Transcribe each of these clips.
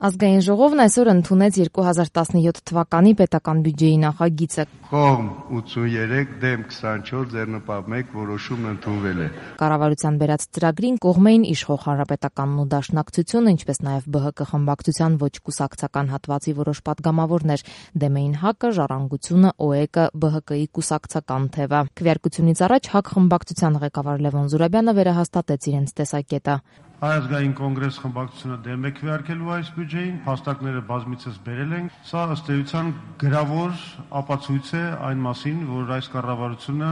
Ազգային ժողովն այսօր ընդունեց 2017 թվականի պետական բյուջեի նախագիծը։ Կողմ 83, դեմ 24, ձեռնպահ 1 որոշումն ընդունվել է։ Կառավարության բերած ծրագրին կողմ էին իշխող Հանրապետականն ու Դաշնակցությունը, ինչպես նաև ԲՀԿ խմբակցության ոչ կուսակցական հատվածի որոշ պատգամավորներ, դեմ էին ՀԱԿ-ը, Ժառանգությունը, ՕԵԿ-ը, ԲՀԿ-ի կուսակցական թևը։ Քվեարկությունից առաջ ՀԱԿ խմբակցության ղեկավար Լևոն Զուրաբյանը վերահաստատեց իրենց տեսակետը։ Հայ ազգային կոնգրես խմբակցությունը դեմ է քվեարկելու այս բյուջեին, փաստարկները բազմիցս բերել ենք։ Սա ըստ էության գրավոր ապացույց է այն մասին, որ այս կառավարությունը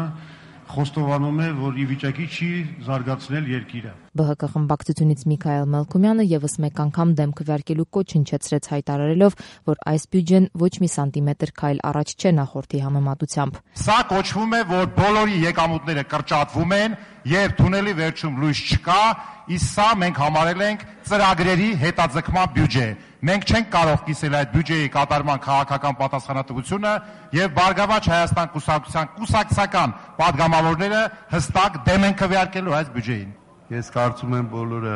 խոստովանում է, որ ի վիճակի չի զարգացնել երկիրը։ ԲՀԿ խմբակցությունից Միքայել Մելքումյանը եւս մեկ անգամ դեմ քվեարկելու կոչ հնչեցրեց, հայտարարելով, որ այս բյուջեն ոչ մի սանտիմետր քայլ առաջ չէ նախորդի համեմատությամբ։ Սա կոչվում է, որ բոլորի եկամուտները կրճատվում են եւ թունելի վերջում լույս չկա, իսկ սա մենք համարել ենք ծրագրերի հետաձգման բյուջե։ Մենք չենք կարող կիսել այդ բյուջեի կատարման քաղաքական պատասխանատվությունը եւ Բարգավաճ Հայաստան կուսակցության կուսակցական պատգամավորները հստակ դեմ են քվեարկելու այս բյուջեին։ Ես կարծում եմ բոլորը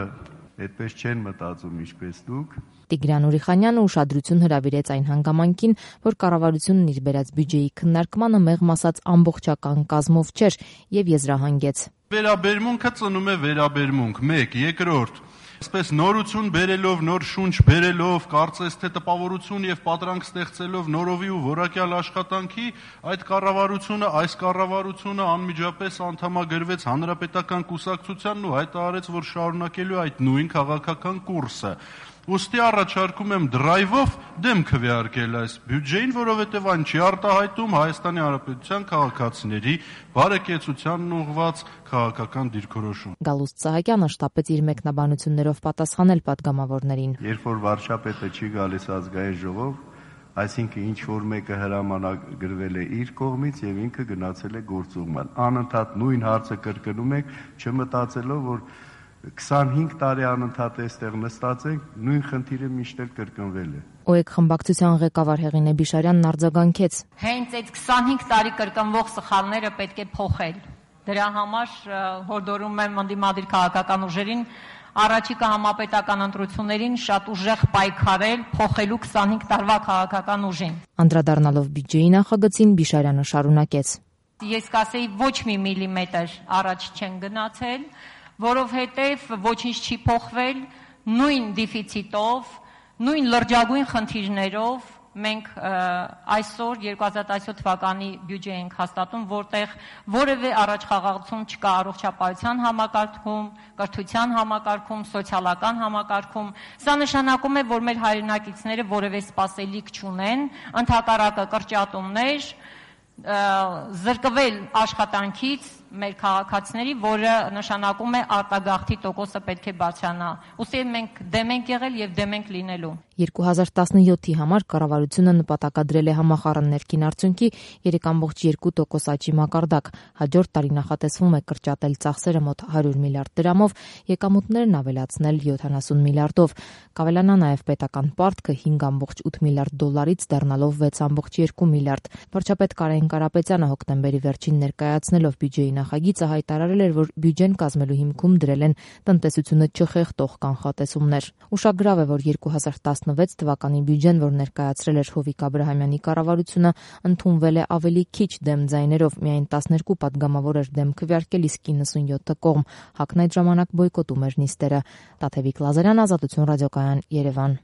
այդպես չեն մտածում ինչպես դուք։ Տիգրան Ուրիխանյանը ուշադրություն հրավիրեց այն հանգամանքին, որ կառավարությունն իր բերած բյուջեի քննարկմանը մեղմ ասած ամբողջական կազմով չէր եւ եզրահանգեց։ Վերաբերմունքը ծնում է վերաբերմունք, 1, երկրորդ Այսպես նորություն բերելով, նոր շունչ բերելով, կարծես թե տպավորություն եւ պատրանք ստեղծելով նորովի ու որակյալ աշխատանքի, այս կառավարությունը անմիջապես անդամագրվեց Հանրապետական կուսակցությանն ու հայտարարեց, որ շարունակելու այդ նույն քաղաքական կուրսը։ Ուստի առաջարկում եմ դրայվով դեմ քվեարկել այս բյուջեին, որովհետև այն չի արտահայտում Հայաստանի Հանրապետության քաղաքացիների բարեկեցությանն ուղղված քաղաքական դիրքորոշում։ Գալուստ Սահակյանը շտապեց իր մեկնաբանություններով պատասխանել պատգամավորներին։ Երբ որ վարչապետը չի գալիս ազգային ժողով, այսինքն ինչ որ մեկը հրամանագրվել է իր կողմից եւ ինքը գնացել է գործուղման։ Անընդհատ նույն հարցը կրկնում եք, չմտածելով, որ 25 տարի անընդհատ այստեղ նստած ենք, նույն խնդիրը միշտ էլ կրկնվել է։ ՕԵԿ խմբակցության ղեկավար Հեղինե Բիշարյանն արձագանքեց։ Հենց այդ 25 տարի կրկնվող սխալները պետք է փոխել։ Դրա համար հորդորում եմ ընդդիմադիր քաղաքական ուժերին առաջիկա համապետական ընտրություններին շատ ուժեղ պայքարել, փոխելու 25 տարվա քաղաքական ուժին։ Անդրադառնալով բյուջեի նախագծին Բիշարյանը շարունակեց։ Ես կասեի ոչ մի միլիմետր առաջ չեն գնացել, որովհետև ոչինչ չի փոխվել, նույն դեֆիցիտով, նույն լրջագույն խնդիրներով մենք այսօր 2017 թվականի բյուջե ենք հաստատում, որտեղ որևէ առաջխաղացում չկա առողջապահության համակարգում, կրթության համակարգում, սոցիալական համակարգում։ Սա նշանակում է, որ մեր հայրենակիցները որևէ սպասելիք չունեն, ընդհակառակը կրճատումներ, զրկվել աշխատանքից մեր քաղաքացիների, որը նշանակում է արտագաղթի տոկոսը պետք է բարձրանա։ Ուստի մենք դեմ ենք եղել եւ դեմ ենք լինելու։ 2017-ի համար կառավարությունը նպատակադրել է համախառն ներքին արդյունքի 3.2% աճի մակարդակ։ Հաջորդ տարի նախատեսվում է կրճատել ծախսերը մոտ 100 միլիարդ դրամով, եկամուտներն ավելացնել 70 միլիարդով։ Կավելանա նաև պետական պարտքը 5.8 միլիարդ դոլարից դառնալով 6.2 միլիարդ։ Վարչապետ Կարեն Կարապետյանը հոկտեմբերի վերջին ներկայացնելով բյուջեի նախագիծը հայտարարել էր, որ բյուջեն կազմելու հիմքում դրել են տնտեսությունը չխեղդող կանխատեսումներ։ Ուշագրավ է, որ 2016 թվականի բյուջեն, որ ներկայացրել էր Հովիկ Աբրահամյանի կառավարությունը, ընդունվել է ավելի քիչ դեմ ձայներով, միայն 12 պատգամավոր էր դեմ քվեարկել, իսկ 97-ը կողմ։ ՀԱԿ-ն այդ ժամանակ բոյկոտում էր նիստերը։ Տաթևիկ Լազարյան, Ազատություն ռադիոկայան, Երևան։